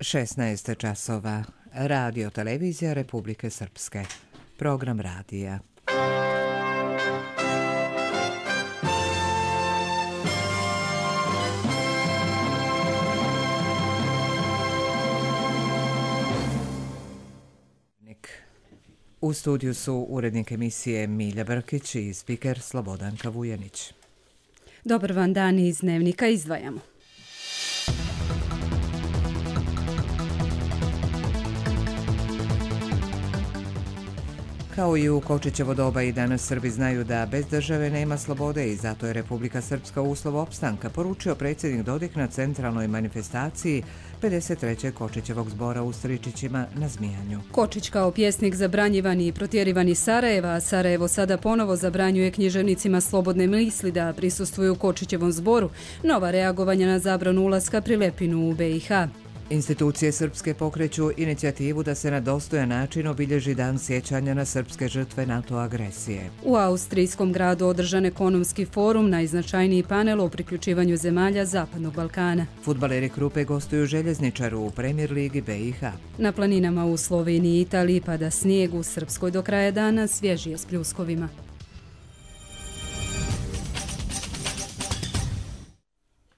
16 časova. Radio televizija Republike Srpske. Program radija. U studiju su urednik emisije Milja Brkić i spiker Slobodanka Vujanić. Dobar vam dan, iz Dnevnika izdvajamo. Kao i u Kočićevo doba i danas Srbi znaju da bez države nema slobode i zato je Republika Srpska uslov opstanka, poručio predsjednik Dodik na centralnoj manifestaciji 53. Kočićevog zbora u Stričićima na Zmijanju. Kočić kao pjesnik zabranjivani i protjerivan iz Sarajeva, a Sarajevo sada ponovo zabranjuje književnicima slobodne misli da prisustvuju Kočićevom zboru. Nova reagovanja na zabranu ulaska Prilepinu u BiH. Institucije srpske pokreću inicijativu da se na dostojan način obilježi dan sjećanja na srpske žrtve NATO agresije. U austrijskom gradu održan ekonomski forum, najznačajniji panel o priključivanju zemalja Zapadnog Balkana. Fudbaleri Krupe gostuju Željezničaru u Premier ligi BiH. Na planinama u Sloveniji i Italiji pada snijeg, u Srpskoj do kraja dana svježije s pljuskovima.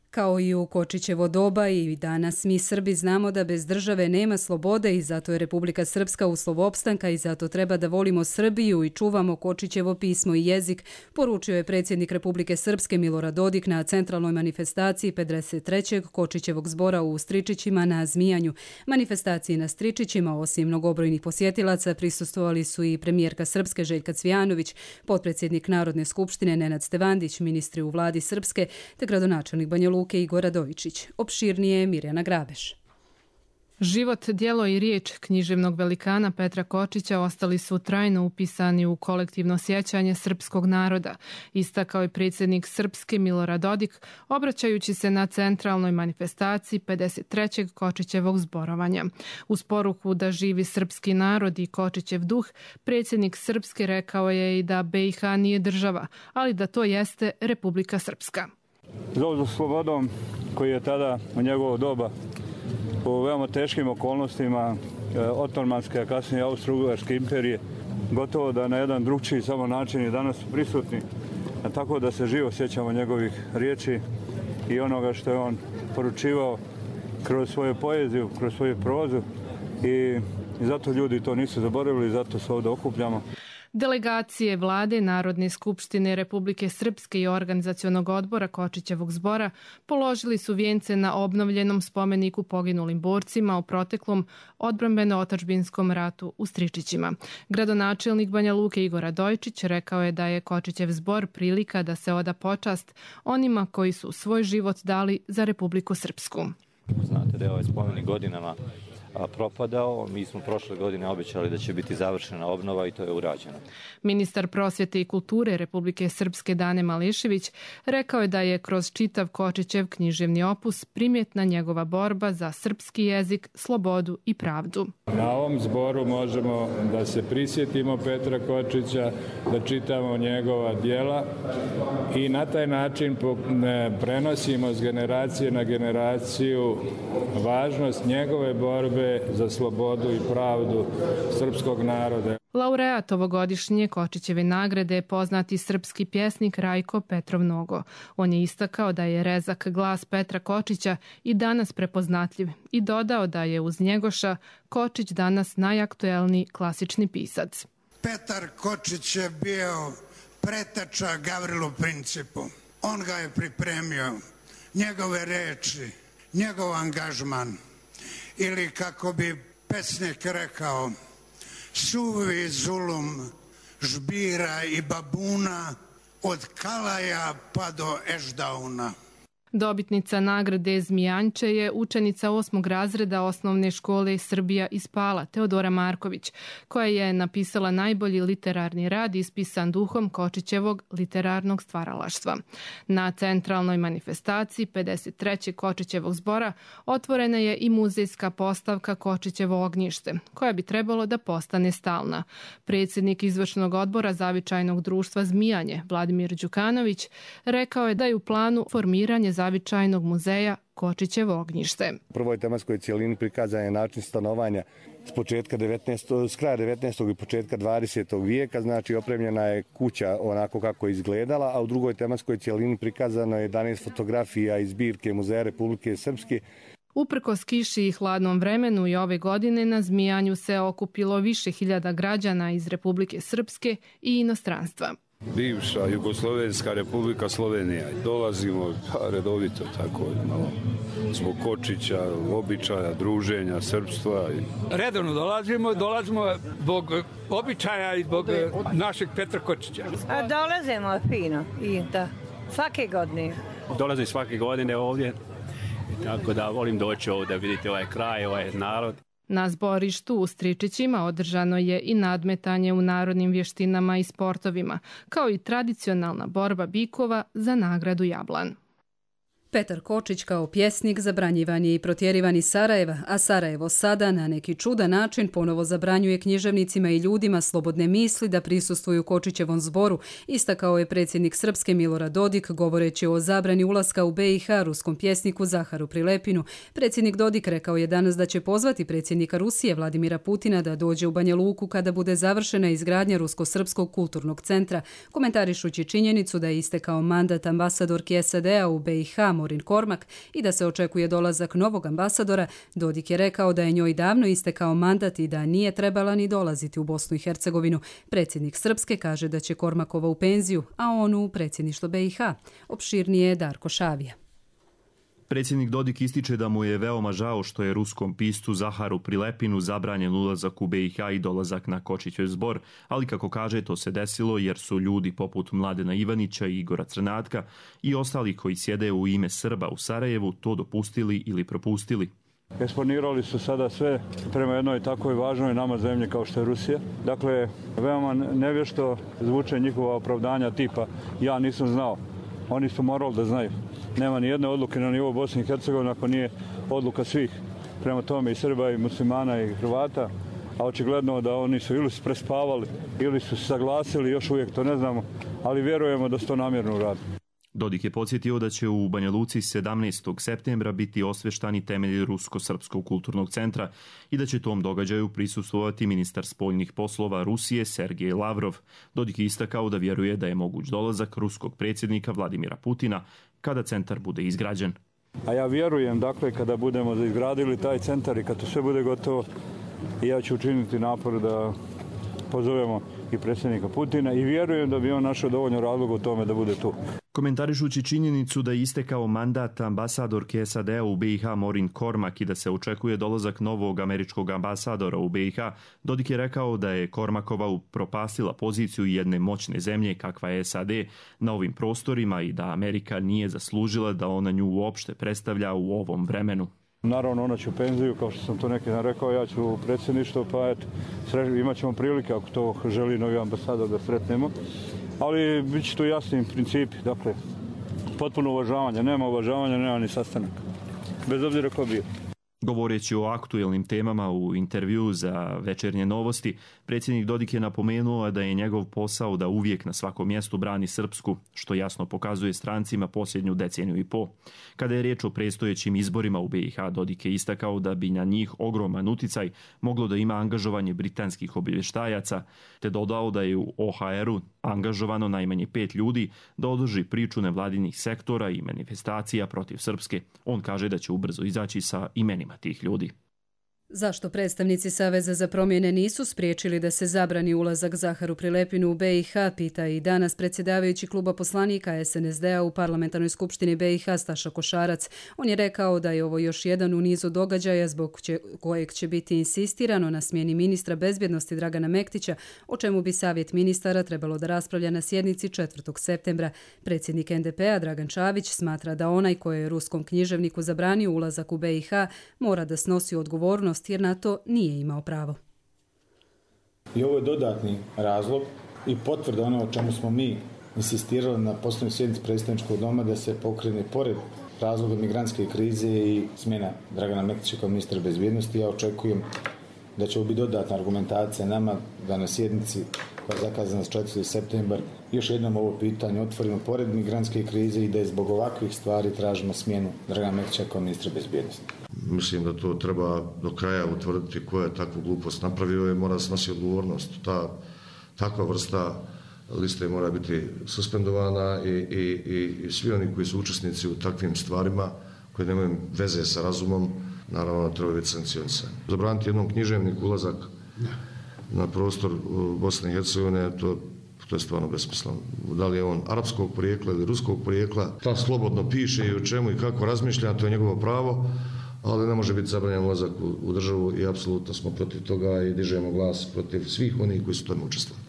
Kao i u Kočićevo doba i danas mi Srbi znamo da bez države nema slobode i zato je Republika Srpska uslov opstanka i zato treba da volimo Srbiju i čuvamo Kočićevo pismo i jezik, poručio je predsjednik Republike Srpske Milorad Dodik na centralnoj manifestaciji 53. Kočićevog zbora u Stričićima na Zmijanju. Manifestaciji na Stričićima, osim mnogobrojnih posjetilaca, prisustvovali su i premijerka Srpske Željka Cvijanović, potpredsjednik Narodne skupštine Nenad Stevandić, ministri u vladi Srpske te gradonačelnik Banja Luke Igor Radojičić. Opširnije Mirjana Grabeš. Život, djelo i riječ književnog velikana Petra Kočića ostali su trajno upisani u kolektivno sjećanje srpskog naroda, istakao je predsjednik Srpske Milorad Dodik, obraćajući se na centralnoj manifestaciji 53. Kočićevog zborovanja. Uz poruku da živi srpski narod i Kočićev duh, predsjednik Srpske rekao je i da BiH nije država, ali da to jeste Republika Srpska. Zov za slobodom koji je tada u njegovo doba u veoma teškim okolnostima otomanske, a kasnije Austro-Ugarske imperije, gotovo da na jedan drugčiji samo način i danas prisutni, tako da se živo sjećamo njegovih riječi i onoga što je on poručivao kroz svoju poeziju, kroz svoju prozu i zato ljudi to nisu zaboravili, zato se ovdje okupljamo. Delegacije vlade Narodne skupštine Republike Srpske i organizacionog odbora Kočićevog zbora položili su vijence na obnovljenom spomeniku poginulim borcima u proteklom odbrambeno-otadžbinskom ratu u Stričićima. Gradonačelnik Banja Luke Igor Radojičić rekao je da je Kočićev zbor prilika da se oda počast onima koji su svoj život dali za Republiku Srpsku. Znate da je ovaj spomenik godinama propadao. Mi smo prošle godine obećali da će biti završena obnova i to je urađeno. Ministar prosvjete i kulture Republike Srpske Dane Mališević rekao je da je kroz čitav Kočićev književni opus primjetna njegova borba za srpski jezik, slobodu i pravdu. Na ovom zboru možemo da se prisjetimo Petra Kočića, da čitamo njegova djela i na taj način prenosimo s generacije na generaciju važnost njegove borbe za slobodu i pravdu srpskog naroda. Laureat ovogodišnje Kočićeve nagrade je poznati srpski pjesnik Rajko Petrov Nogo. On je istakao da je rezak glas Petra Kočića i danas prepoznatljiv i dodao da je uz Njegoša Kočić danas najaktuelniji klasični pisac. Petar Kočić je bio preteča Gavrilu Principu. On ga je pripremio, njegove reči, njegov angažman. Ili kako bi pesnik rekao, suvi zulum žbira i babuna od Kalaja pa do Ešdauna. Dobitnica nagrade Zmijanče je učenica 8. razreda osnovne škole Srbija iz Pala, Teodora Marković, koja je napisala najbolji literarni rad ispisan duhom Kočićevog literarnog stvaralaštva. Na centralnoj manifestaciji 53. Kočićevog zbora otvorena je i muzejska postavka Kočićevo ognjište, koja bi trebalo da postane stalna. Predsjednik izvršnog odbora Zavičajnog društva Zmijanje, Vladimir Đukanović, rekao je da je u planu formiranje zavičajnog muzeja Kočićevo ognjište. U prvoj tematskoj cijelini prikazan je način stanovanja s kraja 19. i početka 20. vijeka, znači opremljena je kuća onako kako je izgledala, a u drugoj tematskoj cijelini prikazano je 11 fotografija iz zbirke Muzeja Republike Srpske. Uprkos kiši i hladnom vremenu i ove godine na Zmijanju se okupilo više hiljada građana iz Republike Srpske i inostranstva. Bivša Jugoslovenska Republika Slovenija. Dolazimo redovito tako, zbog Kočića, običaja, druženja, srpstva. Redovno dolazimo zbog običaja i zbog našeg Petra Kočića. Dolazimo fino i da, svake godine. Dolazim svake godine ovdje, tako da volim doći ovdje, vidite ovaj kraj, ovaj narod. Na zborištu u Stričićima održano je i nadmetanje u narodnim vještinama i sportovima, kao i tradicionalna borba bikova za nagradu Jablan. Petar Kočić kao pjesnik zabranjivan je i protjerivan iz Sarajeva, a Sarajevo sada na neki čudan način ponovo zabranjuje književnicima i ljudima slobodne misli da prisustvuju Kočićevom zboru, istakao je predsjednik Srpske Milorad Dodik govoreći o zabrani ulaska u BiH ruskom pjesniku Zaharu Prilepinu. Predsjednik Dodik rekao je danas da će pozvati predsjednika Rusije Vladimira Putina da dođe u Banja Luku kada bude završena izgradnja Rusko-srpskog kulturnog centra, komentarišući činjenicu da je istekao mandat ambasadorki SAD-a u BiH Morin Kormak i da se očekuje dolazak novog ambasadora. Dodik je rekao da je njoj davno istekao mandat i da nije trebala ni dolaziti u Bosnu i Hercegovinu. Predsjednik Srpske kaže da će Kormakova u penziju, a on u predsjedništvo BiH. Opširnije je Darko Šavija. Predsjednik Dodik ističe da mu je veoma žao što je ruskom piscu Zaharu Prilepinu zabranjen ulazak u BiH i dolazak na Kočićev zbor, ali kako kaže to se desilo jer su ljudi poput Mladena Ivanića i Igora Crnatka i ostali koji sjede u ime Srba u Sarajevu to dopustili ili propustili. Eksponirali su sada sve prema jednoj takvoj važnoj nama zemlji kao što je Rusija. Dakle, veoma nevješto zvuče njihova opravdanja tipa ja nisam znao. Oni su morali da znaju. Nema ni jedne odluke na nivou Bosne i Hercegovine ako nije odluka svih. Prema tome i Srba i muslimana i Hrvata. A očigledno da oni su ili prespavali ili su se saglasili, još uvijek to ne znamo, ali vjerujemo da su to namjerno uradili. Dodik je podsjetio da će u Banja Luci 17. septembra biti osveštani temelji Rusko-srpskog kulturnog centra i da će tom događaju prisustvovati ministar spoljnih poslova Rusije Sergej Lavrov. Dodik je istakao da vjeruje da je moguć dolazak ruskog predsjednika Vladimira Putina kada centar bude izgrađen. A ja vjerujem, dakle, kada budemo izgradili taj centar i kad to sve bude gotovo, ja ću učiniti napor da pozovemo i predsjednika Putina i vjerujem da bi on našao dovoljno razloga u tome da bude tu. Komentarišući činjenicu da je istekao mandat ambasadorke SAD-a u BiH Morin Kormak i da se očekuje dolazak novog američkog ambasadora u BiH, Dodik je rekao da je Kormakova upropastila poziciju jedne moćne zemlje kakva je SAD na ovim prostorima i da Amerika nije zaslužila da ona nju uopšte predstavlja u ovom vremenu. Naravno, ona će u penziju, kao što sam to neki dan rekao, ja ću u predsjedništvo, pa eto, imat ćemo prilike ako to želi novi ambasador da sretnemo. Ali bit će tu jasni principi, dakle, potpuno uvažavanje. Nema uvažavanja, nema ni sastanaka. Bez obzira ko bio. Govoreći o aktuelnim temama u intervju za Večernje novosti, predsjednik Dodik je napomenuo da je njegov posao da uvijek na svakom mjestu brani Srpsku, što jasno pokazuje strancima posljednju deceniju i po. Kada je riječ o predstojećim izborima u BiH, Dodik je istakao da bi na njih ogroman uticaj moglo da ima angažovanje britanskih obavještajaca, te dodao da je u OHR-u angažovano najmanje 5 ljudi da održi priču nevladinih sektora i manifestacija protiv Srpske. On kaže da će ubrzo izaći sa imenima tih ljudi. Zašto predstavnici Saveza za promjene nisu spriječili da se zabrani ulazak Zaharu Prilepinu u BiH, pita i danas predsjedavajući kluba poslanika SNSD-a u parlamentarnoj skupštini BiH Staša Košarac. On je rekao da je ovo još jedan u nizu događaja zbog kojeg će biti insistirano na smjeni ministra bezbjednosti Dragana Mektića, o čemu bi Savjet ministara trebalo da raspravlja na sjednici 4. septembra. Predsjednik NDP-a Dragan Čavić smatra da onaj koji je ruskom književniku zabranio ulazak u BiH mora da snosi odgovornost jer na to nije imao pravo. I ovo je dodatni razlog i potvrda ono o čemu smo mi insistirali na posljednjoj sjednici predstavničkog doma da se pokrene pored razloga migrantske krize i smjena Dragana Mektića kao ministra bezbjednosti. Ja očekujem da će ovo biti dodatna argumentacija nama da na sjednici koja je zakazana za 4. septembar još jednom ovo pitanje otvorimo pored migrantske krize i da je zbog ovakvih stvari tražimo smjenu Dragana Mrkića kao ministra bezbjednosti. Mislim da to treba do kraja utvrditi ko je takvu glupost napravio i mora snositi odgovornost. Takva vrsta liste mora biti suspendovana i svi oni koji su učesnici u takvim stvarima koji nemaju veze sa razumom, naravno treba biti sankcionisani. Zabraniti jednom književniku ulazak na prostor Bosne i Hercegovine, to je stvarno besmisleno. Da li je on arapskog porijekla ili ruskog porijekla, ta slobodno piše i o čemu i kako razmišlja, to je njegovo pravo, ali ne može biti zabranjen ulazak u državu i apsolutno smo protiv toga i dižemo glas protiv svih onih koji su tome učestvovali.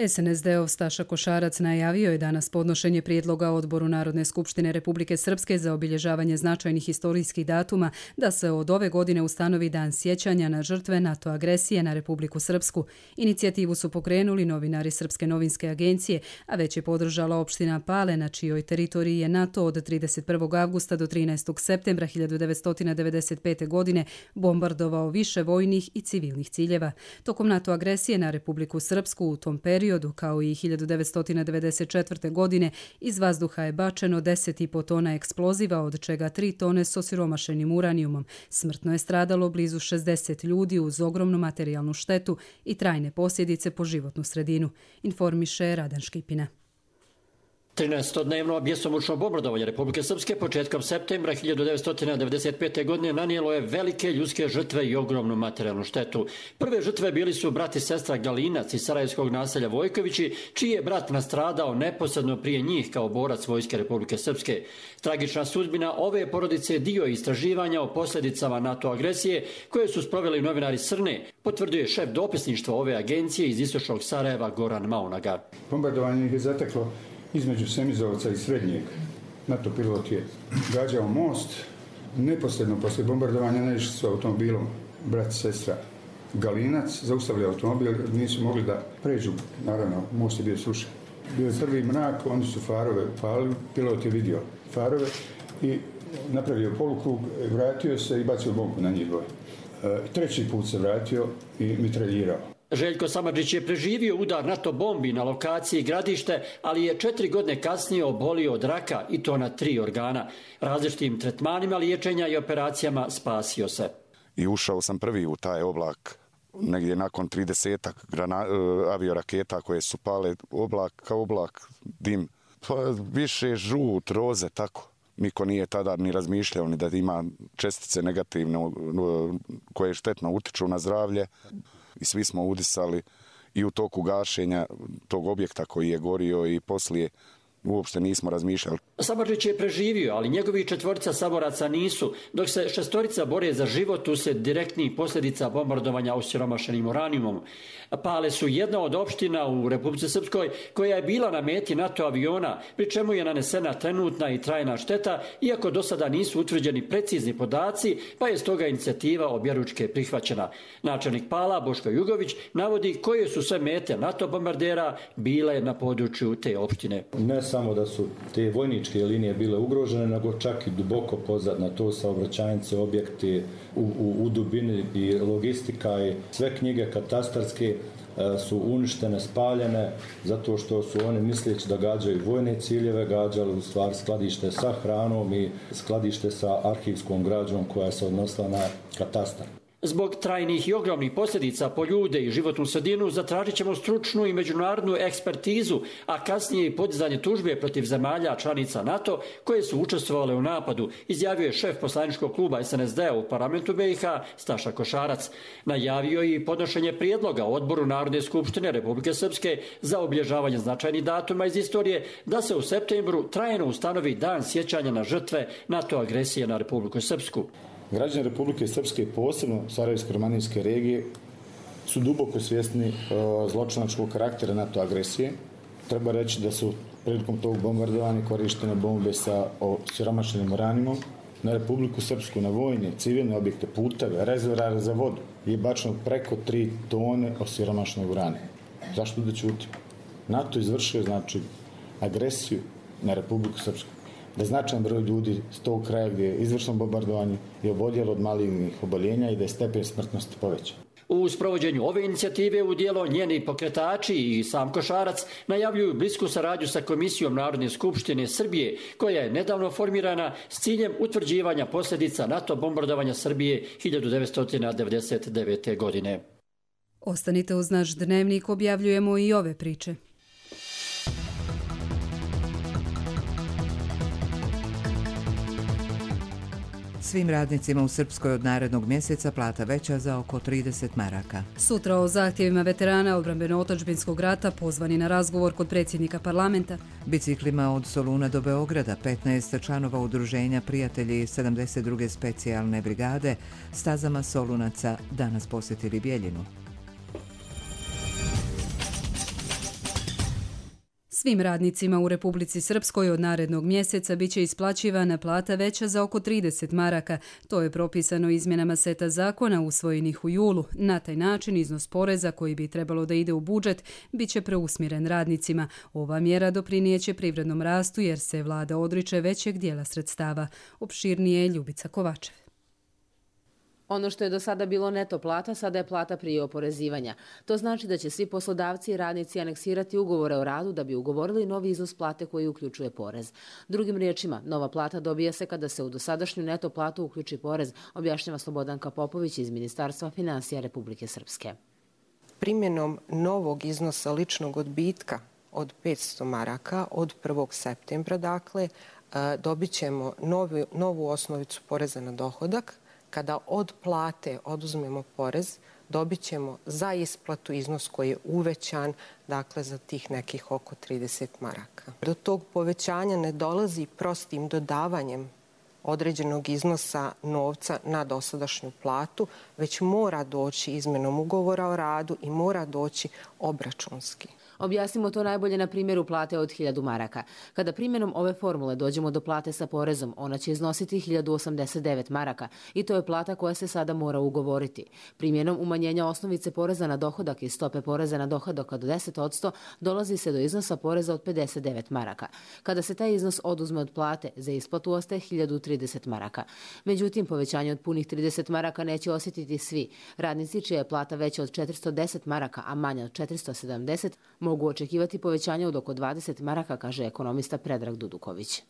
SNSD-ov Staša Košarac najavio je danas podnošenje prijedloga Odboru Narodne skupštine Republike Srpske za obilježavanje značajnih historijskih datuma da se od ove godine ustanovi dan sjećanja na žrtve NATO agresije na Republiku Srpsku. Inicijativu su pokrenuli novinari Srpske novinske agencije, a već je podržala opština Pale, na čijoj teritoriji je NATO od 31. avgusta do 13. septembra 1995. godine bombardovao više vojnih i civilnih ciljeva. Tokom NATO agresije na Republiku Srpsku u tom periodu, kao i 1994. godine, iz vazduha je bačeno 10,5 tona eksploziva, od čega 3 tone s osiromašenim uranijumom. Smrtno je stradalo blizu 60 ljudi uz ogromnu materijalnu štetu i trajne posljedice po životnu sredinu, informiše Radan Škipina. 13-dnevno bjesomučno bombardovanje Republike Srpske početkom septembra 1995. godine nanijelo je velike ljudske žrtve i ogromnu materijalnu štetu. Prve žrtve bili su brat i sestra Galinac iz sarajevskog naselja Vojkovići, čiji je brat nastradao neposredno prije njih kao borac Vojske Republike Srpske. Tragična sudbina ove porodice je dio istraživanja o posljedicama NATO agresije koje su sproveli novinari Srne, potvrdio je šef dopisništva ove agencije iz istočnog Sarajeva Goran Maunaga. Bombardovanje je zateklo između Semizovca i Srednjeg. NATO pilot je gađao most. Neposredno poslije bombardovanja naišli su automobilom brat i sestra Galinac, zaustavili automobil, nisu mogli da pređu, naravno, most je bio srušen. Bio je prvi mrak, oni su farove upalili, pilot je vidio farove i napravio polukrug, vratio se i bacio bombu na njih dvoje. Treći put se vratio i mitraljirao. Željko Samardžić je preživio udar NATO bombi na lokaciji Gradište, ali je 4 godine kasnije obolio od raka i to na 3 organa. Različitim tretmanima liječenja i operacijama spasio se. I ušao sam prvi u taj oblak, negdje nakon 30 avioraketa koje su pale, oblak kao oblak, dim. Pa više žut, roze, tako. Niko nije tada ni razmišljao ni da ima čestice negativne koje štetno utiču na zdravlje. I svi smo udisali i u toku gašenja tog objekta koji je gorio i poslije uopšte nismo razmišljali. Samardžić je preživio, ali njegovi 4 saboraca nisu, dok se 6 bore za život uslijed direktnih posljedica bombardovanja osiromašenim uranijumom. Pale su jedna od opština u Republici Srpskoj koja je bila na meti NATO aviona, pri čemu je nanesena trenutna i trajna šteta, iako do sada nisu utvrđeni precizni podaci, pa je stoga inicijativa objeručke prihvaćena. Načelnik Pala, Boško Jugović, navodi koje su sve mete NATO bombardera bile na području te opštine. Ne samo da su te vojničke linije bile ugrožene, nego čak i duboko pozad na to saobraćajnice, objekti u dubini i logistika i sve knjige katastarske su uništene, spaljene, zato što su oni misleći da gađaju vojne ciljeve, gađali u stvari skladište sa hranom i skladište sa arhivskom građom koja se odnosila na katastar. Zbog trajnih i ogromnih posljedica po ljude i životnu sredinu zatražit ćemo stručnu i međunarodnu ekspertizu, a kasnije i podizanje tužbe protiv zemalja članica NATO koje su učestvovale u napadu, izjavio je šef poslaničkog kluba SNSD-a u parlamentu BiH Staša Košarac. Najavio je i podnošenje prijedloga Odboru Narodne skupštine Republike Srpske za obilježavanje značajnih datuma iz istorije da se u septembru trajno ustanovi dan sjećanja na žrtve NATO agresije na Republiku Srpsku. Građani Republike Srpske, posebno Sarajevsko-romanijske regije, su duboko svjesni zločinačkog karaktera NATO agresije. Treba reći da su prilikom tog bombardovanja korištene bombe sa osiromašenim uranijumom. Na Republiku Srpsku, na vojne, civilne objekte, puteve, rezervoare za vodu je bačeno preko 3 tone osiromašenog uranijuma. Zašto da ćuti? NATO izvršio, znači, agresiju na Republiku Srpsku. da značajan broj ljudi s tog kraja gdje je izvršeno bombardovanje je oboljelo od malignih oboljenja i da je stepen smrtnosti povećan. U sprovođenju ove inicijative u djelo njeni pokretači i sam Košarac najavljuju blisku saradnju sa Komisijom Narodne skupštine Srbije, koja je nedavno formirana s ciljem utvrđivanja posljedica NATO bombardovanja Srbije 1999. godine. Ostanite uz naš dnevnik, objavljujemo i ove priče. Svim radnicima u Srpskoj od narednog mjeseca plata veća za oko 30 maraka. Sutra o zahtjevima veterana odbrambeno-otadžbinskog rata pozvani na razgovor kod predsjednika parlamenta. Biciklima od Soluna do Beograda 15 članova udruženja Prijatelji 72. specijalne brigade stazama Solunaca danas posjetili Bijeljinu. Svim radnicima u Republici Srpskoj od narednog mjeseca biće isplaćivana plata veća za oko 30 maraka. To je propisano izmjenama seta zakona usvojenih u julu. Na taj način iznos poreza koji bi trebalo da ide u budžet biće preusmjeren radnicima. Ova mjera doprinijeće privrednom rastu jer se vlada odriče većeg dijela sredstava. Opširnije je Ljubica Kovačev. Ono što je do sada bilo neto plata, sada je plata prije oporezivanja. To znači da će svi poslodavci i radnici aneksirati ugovore o radu da bi ugovorili novi iznos plate koji uključuje porez. Drugim riječima, nova plata dobija se kada se u dosadašnju neto platu uključi porez, objašnjava Slobodanka Popović iz Ministarstva financija Republike Srpske. Primjenom novog iznosa ličnog odbitka od 500 maraka od 1. septembra, dakle, dobit ćemo novu osnovicu poreza na dohodak. Kada od plate oduzmemo porez, dobit ćemo za isplatu iznos koji je uvećan, dakle za tih nekih oko 30 maraka. Do tog povećanja ne dolazi prostim dodavanjem određenog iznosa novca na dosadašnju platu, već mora doći izmjenom ugovora o radu i mora doći obračunski. Objasnimo to najbolje na primjeru plate od 1000 maraka. Kada primjenom ove formule dođemo do plate sa porezom, ona će iznositi 1089 maraka i to je plata koja se sada mora ugovoriti. Primjenom umanjenja osnovice poreza na dohodak i stope poreza na dohodak od 10% dolazi se do iznosa poreza od 59 maraka. Kada se taj iznos oduzme od plate, za isplatu ostaje 1030 maraka. Međutim, povećanje od punih 30 maraka neće osjetiti svi. Radnici čija je plata veća od 410 maraka, a manja od 470, mogu očekivati povećanje od oko 20 maraka, kaže ekonomista Predrag Duduković.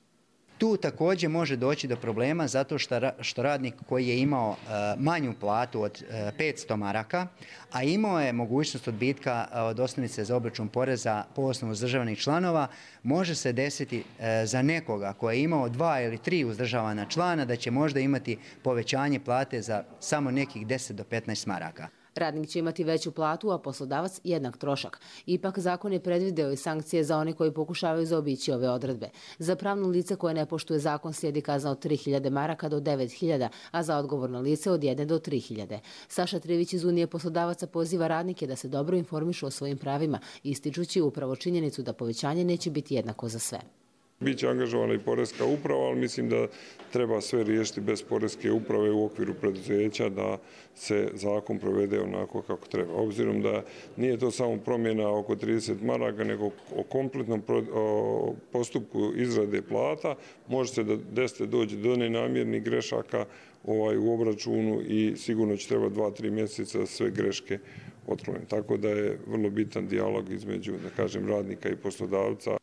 Tu također može doći do problema zato što radnik koji je imao manju platu od 500 maraka, a imao je mogućnost odbitka od osnovice za obračun poreza po osnovu uzdržavanih članova, može se desiti za nekoga koji je imao 2 ili 3 uzdržavana člana da će možda imati povećanje plate za samo nekih 10 do 15 maraka. Radnik će imati veću platu, a poslodavac jednak trošak. Ipak zakon je predvideo i sankcije za one koji pokušavaju zaobići ove odredbe. Za pravno lice koje ne poštuje zakon slijedi kazna od 3000 maraka do 9000, a za odgovorno lice od 1 do 3000. Saša Trivić iz Unije poslodavaca poziva radnike da se dobro informišu o svojim pravima, ističući upravo činjenicu da povećanje neće biti jednako za sve. Biće angažovana i poreska uprava, ali mislim da treba sve riješiti bez poreske uprave u okviru preduzeća da se zakon provede onako kako treba. Obzirom da nije to samo promjena oko 30 maraka, nego o kompletnom postupku izrade plata, može se desiti doći do nenamjernih grešaka u obračunu i sigurno će treba 2-3 mjeseca sve greške otkloniti. Tako da je vrlo bitan dijalog između, da kažem, radnika i poslodavca.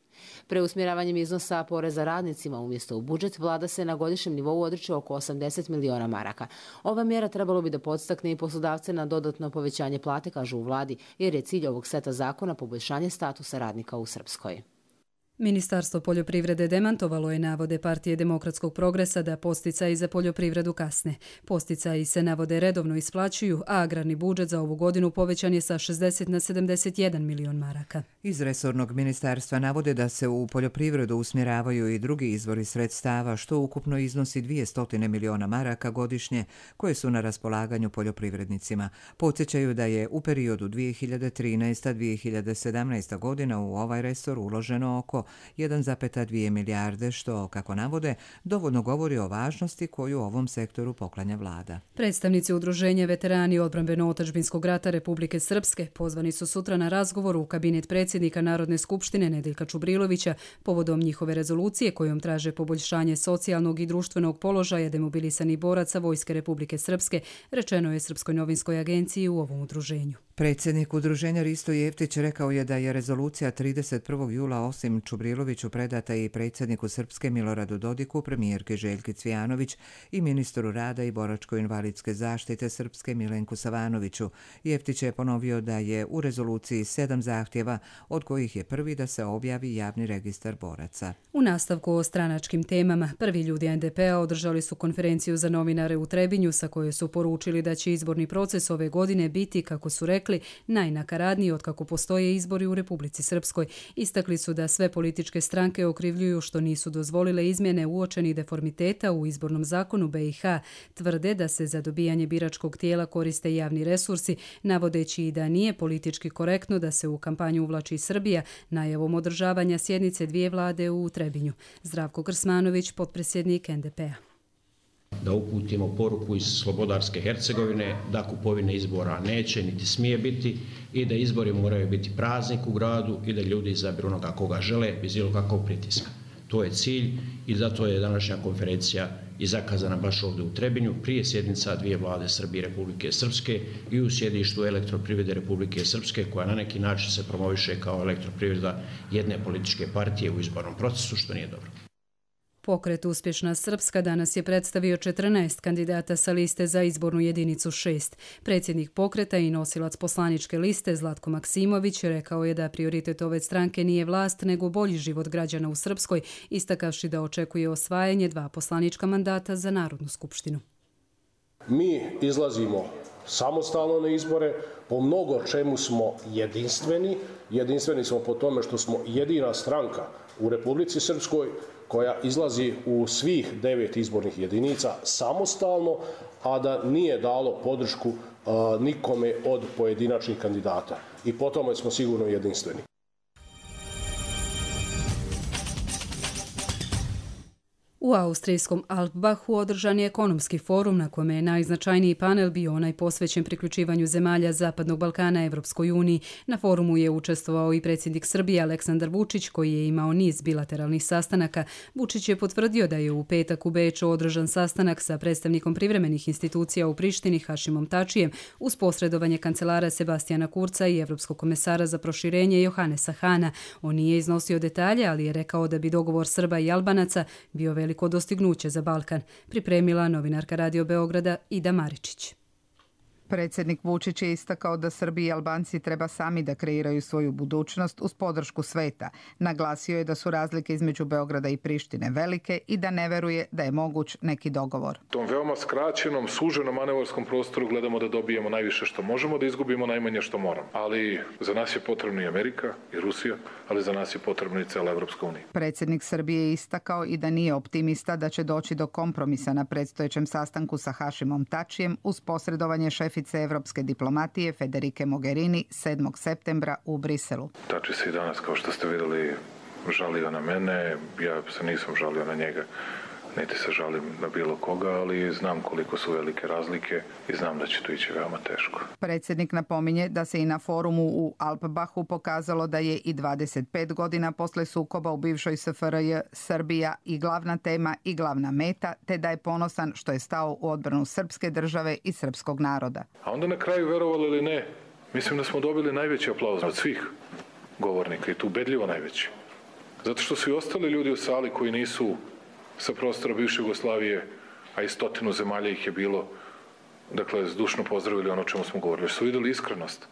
Preusmjeravanjem iznosa poreza radnicima umjesto u budžet, vlada se na godišnjem nivou odriče oko 80 miliona maraka. Ova mjera trebalo bi da podstakne i poslodavce na dodatno povećanje plate, kažu u vladi, jer je cilj ovog seta zakona poboljšanje statusa radnika u Srpskoj. Ministarstvo poljoprivrede demantovalo je navode Partije demokratskog progresa da posticaji za poljoprivredu kasne. Posticaji se navode redovno isplaćuju, a agrarni budžet za ovu godinu povećan je sa 60 na 71 milion maraka. Iz resornog ministarstva navode da se u poljoprivredu usmjeravaju i drugi izvori sredstava, što ukupno iznosi 200 miliona maraka godišnje, koje su na raspolaganju poljoprivrednicima. Podsjećaju da je u periodu 2013-2017 godina u ovaj resor uloženo oko 1,2 milijarde, što, kako navode, dovoljno govori o važnosti koju ovom sektoru poklanja vlada. Predstavnici Udruženja veterani odbrambeno-otadžbinskog rata Republike Srpske pozvani su sutra na razgovor u kabinet predsjednika Narodne skupštine Nedeljka Čubrilovića povodom njihove rezolucije kojom traže poboljšanje socijalnog i društvenog položaja demobilisanih boraca Vojske Republike Srpske, rečeno je Srpskoj novinskoj agenciji u ovom udruženju. Predsjednik udruženja Risto Jeftić rekao je da je rezolucija 31. jula osim Čubriloviću predata i predsjedniku Srpske Miloradu Dodiku, premijerke Željki Cvijanović i ministru rada i boračko-invalidske zaštite Srpske Milenku Savanoviću. Jeftić je ponovio da je u rezoluciji 7 zahtjeva, od kojih je prvi da se objavi javni registar boraca. U nastavku o stranačkim temama, prvi ljudi NDP-a održali su konferenciju za novinare u Trebinju sa kojoj su poručili da će izborni proces ove godine biti, kako su rekli, najnakaradniji otkako postoje izbori u Republici Srpskoj. Istakli su da sve političke stranke okrivljuju što nisu dozvolile izmjene uočenih deformiteta u izbornom zakonu BiH. Tvrde da se za dobijanje biračkog tijela koriste javni resursi, navodeći i da nije politički korektno da se u kampanju uvlači Srbija najavom održavanja sjednice dvije vlade u Trebinju. Zdravko Krsmanović, potpredsjednik NDP-a. Da uputimo poruku iz Slobodarske Hercegovine da kupovine izbora neće niti smije biti i da izbori moraju biti praznik u gradu i da ljudi izabiru onoga koga žele bez bilo kakvog pritiska. To je cilj i zato je današnja konferencija i zakazana baš ovdje u Trebinju prije sjednica dvije vlade Srbije i Republike Srpske i u sjedištu Elektroprivrede Republike Srpske, koja na neki način se promoviše kao elektroprivreda jedne političke partije u izbornom procesu, što nije dobro. Pokret Uspješna Srpska danas je predstavio 14 kandidata sa liste za izbornu jedinicu 6. Predsjednik pokreta i nosilac poslaničke liste Zlatko Maksimović rekao je da prioritet ove stranke nije vlast nego bolji život građana u Srpskoj, istakavši da očekuje osvajanje 2 poslanička mandata za Narodnu skupštinu. Mi izlazimo samostalno na izbore, po mnogo čemu smo jedinstveni. Jedinstveni smo po tome što smo jedina stranka u Republici Srpskoj koja izlazi u svih 9 izbornih jedinica samostalno, a da nije dalo podršku nikome od pojedinačnih kandidata. I po tome smo sigurno jedinstveni. U austrijskom Alpbachu održan je ekonomski forum na kome je najznačajniji panel bio onaj posvećen priključivanju zemalja Zapadnog Balkana Evropskoj uniji. Na forumu je učestvovao i predsjednik Srbije Aleksandar Vučić, koji je imao niz bilateralnih sastanaka. Vučić je potvrdio da je u petak u Beču održan sastanak sa predstavnikom privremenih institucija u Prištini Hašimom Tačijem uz posredovanje kancelara Sebastijana Kurca i Evropskog komesara za proširenje Johanesa Hana. On nije iznosio detalje, ali je rekao da bi dogovor Srba i Albanaca bio veliko dostignuće za Balkan, pripremila novinarka Radio Beograda Ida Maričić. Predsjednik Vučić je istakao da Srbi i Albanci treba sami da kreiraju svoju budućnost uz podršku sveta. Naglasio je da su razlike između Beograda i Prištine velike i da ne veruje da je moguć neki dogovor. U tom veoma skraćenom, suženom manevarskom prostoru gledamo da dobijemo najviše što možemo, da izgubimo najmanje što moramo. Ali za nas je potrebna i Amerika i Rusija, ali za nas je potrebna i cela Evropska unija. Predsjednik Srbije je istakao i da nije optimista da će doći do kompromisa na predstojećem sastanku sa Hašimom Tačijem uz posredovanje šefice evropske diplomatije Federike Mogherini 7. septembra u Briselu. Tači se i danas, kao što ste vidjeli, žalio na mene. Ja se nisam žalio na njega, niti se žalim na bilo koga, ali znam koliko su velike razlike i znam da će to ići veoma teško. Predsjednik napominje da se i na forumu u Alpbachu pokazalo da je i 25 godina posle sukoba u bivšoj SFRJ Srbija i glavna tema i glavna meta, te da je ponosan što je stao u odbranu srpske države i srpskog naroda. A onda na kraju, verovali ili ne, mislim da smo dobili najveći aplauz od svih govornika i tu ubedljivo najveći. Zato što su i ostali ljudi u sali koji nisu sa prostora bivše Jugoslavije, a i 100 zemalja ih je bilo, dakle, zdušno pozdravili ono o čemu smo govorili. Jer su vidjeli iskrenost.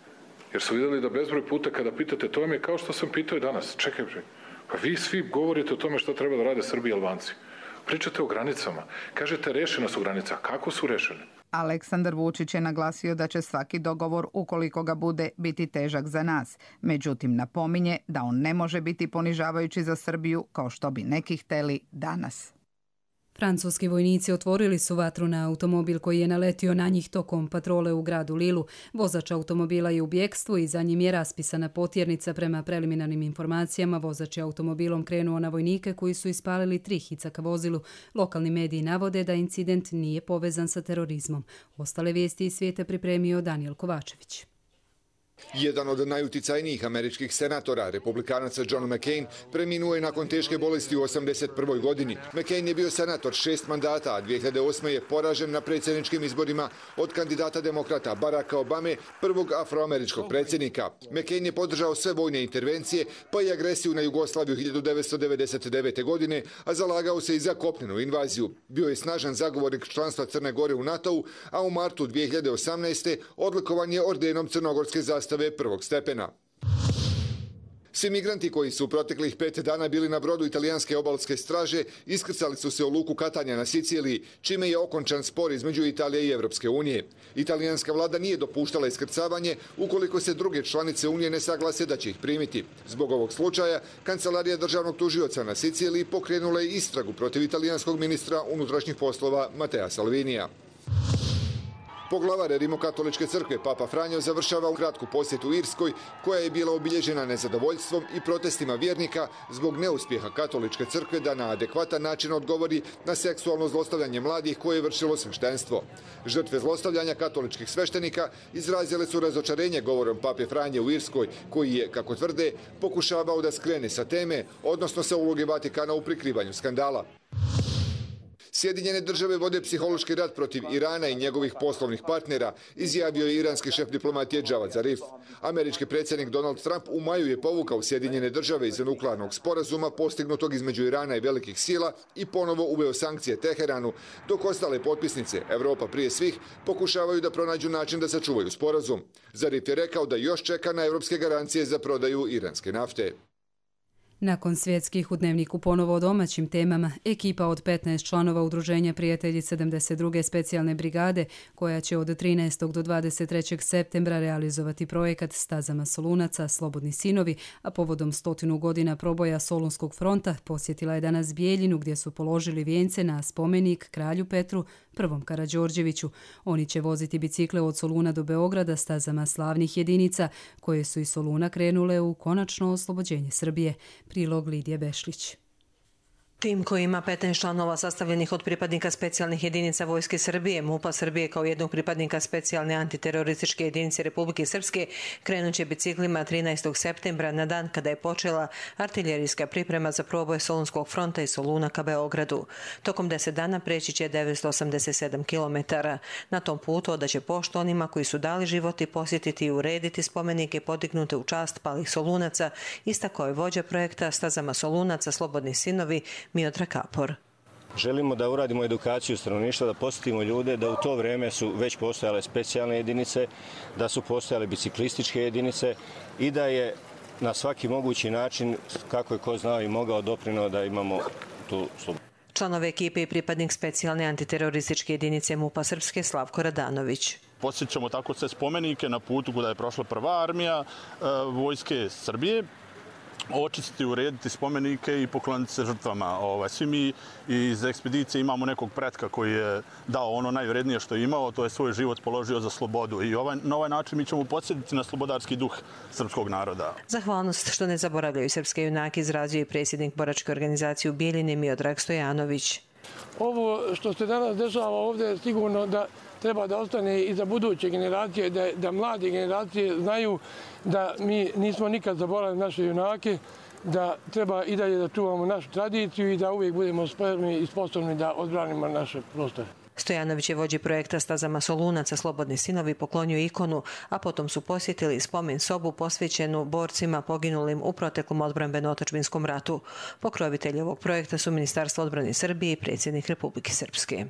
Jer su vidjeli da bezbroj puta kada pitate, to vam je kao što sam pitao i danas. Čekaj, pa vi svi govorite o tome što treba da rade Srbi i Albanci. Pričate o granicama. Kažete, rešene su granice. A kako su rešene? Aleksandar Vučić je naglasio da će svaki dogovor, ukoliko ga bude, biti težak za nas. Međutim, napominje da on ne može biti ponižavajući za Srbiju kao što bi neki hteli danas. Francuski vojnici otvorili su vatru na automobil koji je naletio na njih tokom patrole u gradu Lilu. Vozač automobila je u bjekstvu i za njim je raspisana potjernica. Prema preliminarnim informacijama, vozač je automobilom krenuo na vojnike koji su ispalili 3 hica ka vozilu. Lokalni mediji navode da incident nije povezan sa terorizmom. Ostale vijesti iz svijeta pripremio Daniel Kovačević. Jedan od najuticajnijih američkih senatora, republikanaca John McCain, preminuo je nakon teške bolesti u 81. godini. McCain je bio senator 6 mandata, a 2008. je poražen na predsjedničkim izborima od kandidata demokrata Baracka Obame, prvog afroameričkog predsjednika. McCain je podržao sve vojne intervencije, pa i agresiju na Jugoslaviju 1999. godine, a zalagao se i za kopnenu invaziju. Bio je snažan zagovornik članstva Crne Gore u NATO-u, a u martu 2018. odlikovan je ordenom crnogorske zastave prvog stepena. Svi migranti koji su u proteklih 5 dana bili na brodu italijanske obalske straže iskrcali su se u luku Katanja na Siciliji, čime je okončan spor između Italije i Evropske unije. Italijanska vlada nije dopuštala iskrcavanje ukoliko se druge članice unije ne saglase da će ih primiti. Zbog ovog slučaja, kancelarija državnog tužioca na Siciliji pokrenula je istragu protiv italijanskog ministra unutrašnjih poslova Matea Salvinija. Poglavar Rimokatoličke crkve Papa Franjo završava u kratku posjetu Irskoj, koja je bila obilježena nezadovoljstvom i protestima vjernika zbog neuspjeha Katoličke crkve da na adekvatan način odgovori na seksualno zlostavljanje mladih koje je vršilo sveštenstvo. Žrtve zlostavljanja katoličkih sveštenika izrazile su razočarenje govorom Pape Franje u Irskoj, koji je, kako tvrde, pokušavao da skrene sa teme, odnosno sa uloge Vatikana u prikrivanju skandala. Sjedinjene države vode psihološki rat protiv Irana i njegovih poslovnih partnera, izjavio je iranski šef diplomatije Javad Zarif. Američki predsjednik Donald Trump u maju je povukao Sjedinjene države iz nuklearnog sporazuma postignutog između Irana i velikih sila i ponovo uveo sankcije Teheranu, dok ostale potpisnice, Evropa prije svih, pokušavaju da pronađu način da sačuvaju sporazum. Zarif je rekao da još čeka na evropske garancije za prodaju iranske nafte. Nakon svjetskih u Dnevniku ponovo o domaćim temama, ekipa od 15 članova Udruženja prijatelji 72. specijalne brigade, koja će od 13. do 23. septembra realizovati projekat Stazama Solunaca, Slobodni sinovi, a povodom 100 godina proboja Solunskog fronta, posjetila je danas Bijeljinu gdje su položili vijence na spomenik kralju Petru I. Karađorđeviću. Oni će voziti bicikle od Soluna do Beograda stazama slavnih jedinica, koje su iz Soluna krenule u konačno oslobođenje Srbije. Prilog Lidije Bešlić. Tim koji ima 15 članova sastavljenih od pripadnika specijalnih jedinica Vojske Srbije, MUP-a Srbije kao jednog pripadnika specijalne antiterorističke jedinice Republike Srpske krenut će biciklima 13. septembra na dan kada je počela artiljerijska priprema za proboj Solunskog fronta iz Soluna ka Beogradu. Tokom 10 dana preći će 987 km. Na tom putu odaće poštu onima koji su dali život i posjetiti i urediti spomenike podignute u čast palih Solunaca, istakao je vođa projekta Stazama Solunaca, Slobodni sinovi, Miodrag Kapor. Želimo da uradimo edukaciju stanovništva, da posjetimo ljude da u to vrijeme su već postojale specijalne jedinice, da su postojale biciklističke jedinice i da je na svaki mogući način, kako je ko znao i mogao, doprinuo da imamo tu slobodu. Članove ekipe i pripadnik specijalne antiterorističke jedinice MUP-a Srpske Slavko Radanović. Posjećamo tako sve spomenike na putu kuda je prošla prva armija Vojske Srbije, očistiti, urediti spomenike i pokloniti se žrtvama. Svi mi iz ekspedicije imamo nekog pretka koji je dao ono najvrednije što je imao, to je svoj život položio za slobodu. I na ovaj način mi ćemo podsjetiti na slobodarski duh srpskog naroda. Zahvalnost što ne zaboravljaju srpske junake izrazio i predsjednik boračke organizacije u Bijeljini Miodrag Stojanović. Ovo što se danas dešava ovdje je sigurno da treba da ostane i za buduće generacije, da mlade generacije znaju da mi nismo nikad zaboravili naše junake, da treba i dalje da čuvamo našu tradiciju i da uvijek budemo spremni i sposobni da odbranimo naše prostore. Stojanović je vođi projekta Stazama Solunaca, Slobodni sinovi, poklonio ikonu, a potom su posjetili spomen sobu posvećenu borcima poginulim u proteklom odbrambeno-otadžbinskom ratu. Pokrovitelji ovog projekta su Ministarstvo odbrane Srbije i predsjednik Republike Srpske.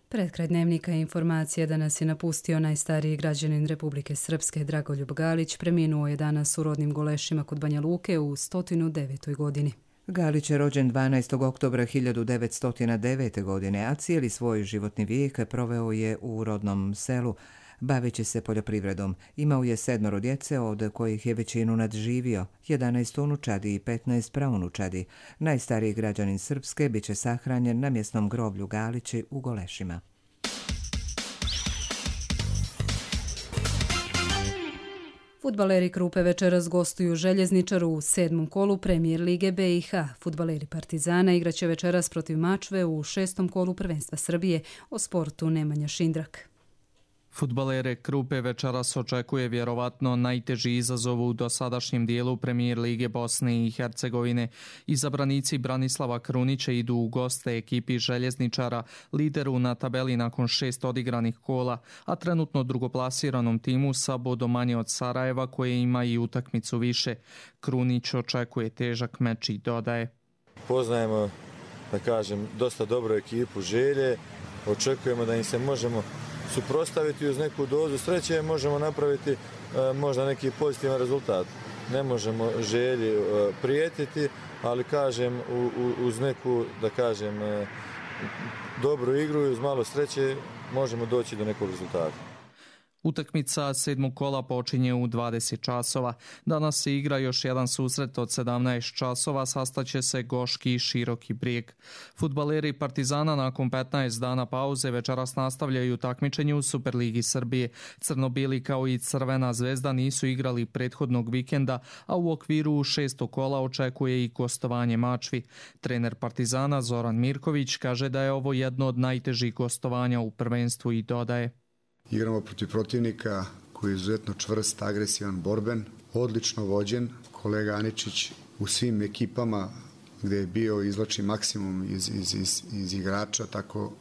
Pred kraj Dnevnika informacija da nas je napustio najstariji građanin Republike Srpske Dragoljub Galić. Preminuo je danas u rodnim Golešima kod Banja Luke u 109. godini. Galić je rođen 12. oktobra 1909. godine, a cijeli svoj životni vijek proveo je u rodnom selu. baveći se poljoprivredom. Imao je 7 djece, od kojih je većinu nadživio, 11 unučadi i 15 praunučadi. Najstariji građanin Srpske biće sahranjen na mjesnom groblju Galići u Golešima. Fudbaleri Krupe večeras gostuju Željezničaru u 7. kolu Premijer Lige BiH. Fudbaleri Partizana igraće večeras protiv Mačve u 6. kolu prvenstva Srbije. O sportu Nemanja Šindrak. Fudbalere Krupe večeras očekuje vjerovatno najteži izazov u dosadašnjem dijelu Premijer Lige Bosne i Hercegovine. Izabranici Branislava Krunića idu u goste ekipi Željezničara, lideru na tabeli nakon 6 odigranih kola, a trenutno drugoplasiranom timu sa bodom manje od Sarajeva koje ima i utakmicu više. Krunić očekuje težak meč i dodaje: Poznajemo, da kažem, dosta dobru ekipu Želje, očekujemo da im se možemo suprotstaviti uz neku dozu sreće, možemo napraviti možda neki pozitivan rezultat. Ne možemo Želji prijetiti, ali kažem uz neku, da kažem, dobru igru i uz malo sreće možemo doći do nekog rezultata. Utakmica 7. kola počinje u 20 časova. Danas se igra još jedan susret od 17 časova, sastaće se Goški i Široki Brijeg. Fudbaleri Partizana nakon 15 dana pauze večeras nastavljaju takmičenje u Superligi Srbije. Crnobili kao i Crvena zvezda nisu igrali prethodnog vikenda, a u okviru 6. kola očekuje i gostovanje Mačvi. Trener Partizana Zoran Mirković kaže da je ovo jedno od najtežih gostovanja u prvenstvu i dodaje: Igramo protiv protivnika koji je izuzetno čvrst, agresivan, borben, odlično vođen. Kolega Aničić u svim ekipama gdje je bio izvlači maksimum iz igrača, tako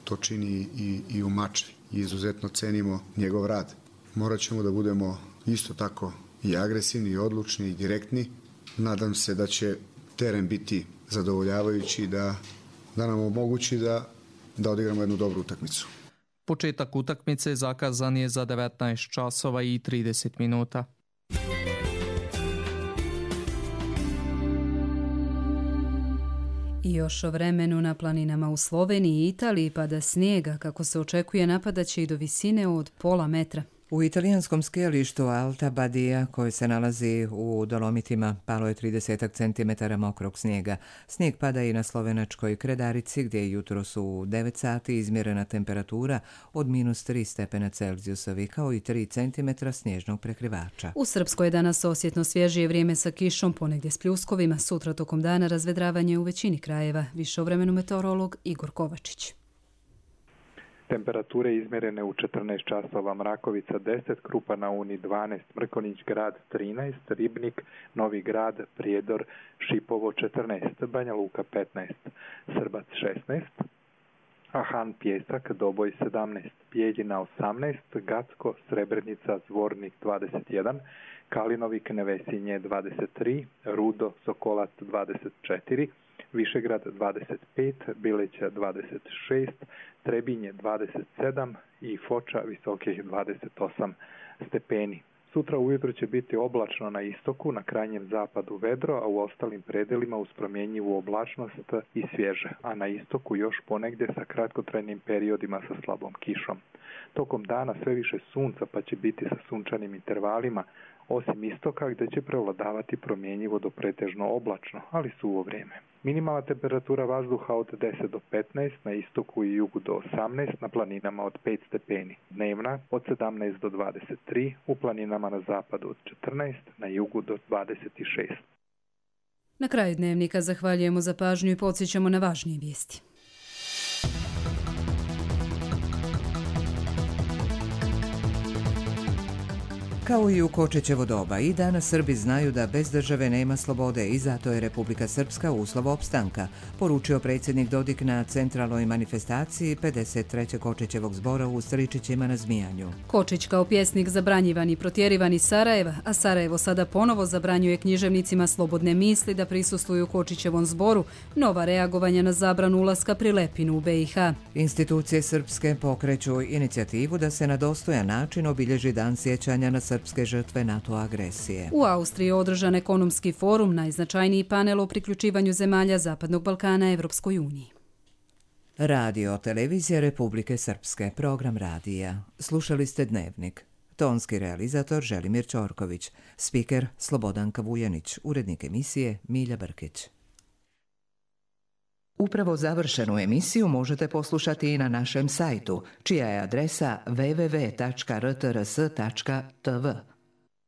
to čini i u Mačvi. I izuzetno cenimo njegov rad. Morat ćemo da budemo isto tako i agresivni, i odlučni, i direktni. Nadam se da će teren biti zadovoljavajući, da nam omogući da odigramo jednu dobru utakmicu. Početak utakmice zakazan je za 19 časova i 30 minuta. I još o vremenu. Na planinama u Sloveniji i Italiji pada snijega, kako se očekuje napadaće i do visine od pola metra. U italijanskom skijalištu Alta Badia, koje se nalazi u Dolomitima, palo je 30 cm mokrog snijega. Snijeg pada i na slovenačkoj Kredarici, gdje je jutros u 9 sati izmjerena temperatura od -3 stepena Celzijusovi, kao i 3 cm snježnog prekrivača. U Srpskoj je danas osjetno svježije vrijeme sa kišom, ponegdje s pljuskovima. Sutra tokom dana razvedravanje u većini krajeva. Više o vremenu meteorolog Igor Kovačić. Temperature izmjerene u 14 časova: Mrakovica 10, Krupa na Uni 12, Mrkonjić Grad 13, Ribnik, Novi Grad, Prijedor, Šipovo 14, Banja Luka 15, Srbac 16, Ahan Pjesak, Doboj 17, Bijeljina 18, Gacko, Srebrenica, Zvornik 21, Kalinovik, Nevesinje 23, Rudo, Sokolac 24, Višegrad 25, Bileća 26, Trebinje 27 i Foča visokih 28 stepeni. Sutra ujutro će biti oblačno na istoku, na krajnjem zapadu vedro, a u ostalim predelima uz promjenjivu oblačnost i svježe, a na istoku još ponegdje sa kratkotrajnim periodima sa slabom kišom. Tokom dana sve više sunca, pa će biti sa sunčanim intervalima, osim istoka gdje će prevladavati promjenjivo do pretežno oblačno, ali suvo vrijeme. Minimalna temperatura vazduha od 10 do 15, na istoku i jugu do 18, na planinama od 5 stepeni. Dnevna od 17 do 23, u planinama na zapadu od 14, na jugu do 26. Na kraju dnevnika zahvaljujemo za pažnju i podsjećamo na važnije vijesti. Kao i u Kočićevo doba, i danas Srbi znaju da bez države nema slobode i zato je Republika Srpska uslov opstanka, poručio predsjednik Dodik na centralnoj manifestaciji 53. Kočićevog zbora u Stričićima na Zmijanju. Kočić kao pjesnik zabranjivan i protjerivan iz Sarajeva, a Sarajevo sada ponovo zabranjuje književnicima slobodne misli da prisustvuju Kočićevom zboru, nova reagovanja na zabranu ulaska Prilepinu u BiH. Institucije srpske pokreću inicijativu da se na dostojan način obilježi dan sjećanja na srpske žrtve NATO agresije. U Austriji je održan ekonomski forum, najznačajniji panel o priključivanju zemalja Zapadnog Balkana Evropskoj uniji. Radio Televizija Republike Srpske, program radija. Slušali ste Dnevnik. Tonski realizator Želimir Ćorković, spiker Slobodanka Vujanić, urednik emisije Milja Brkić. Upravo završenu emisiju možete poslušati i na našem sajtu, čija je adresa www.rtrs.tv.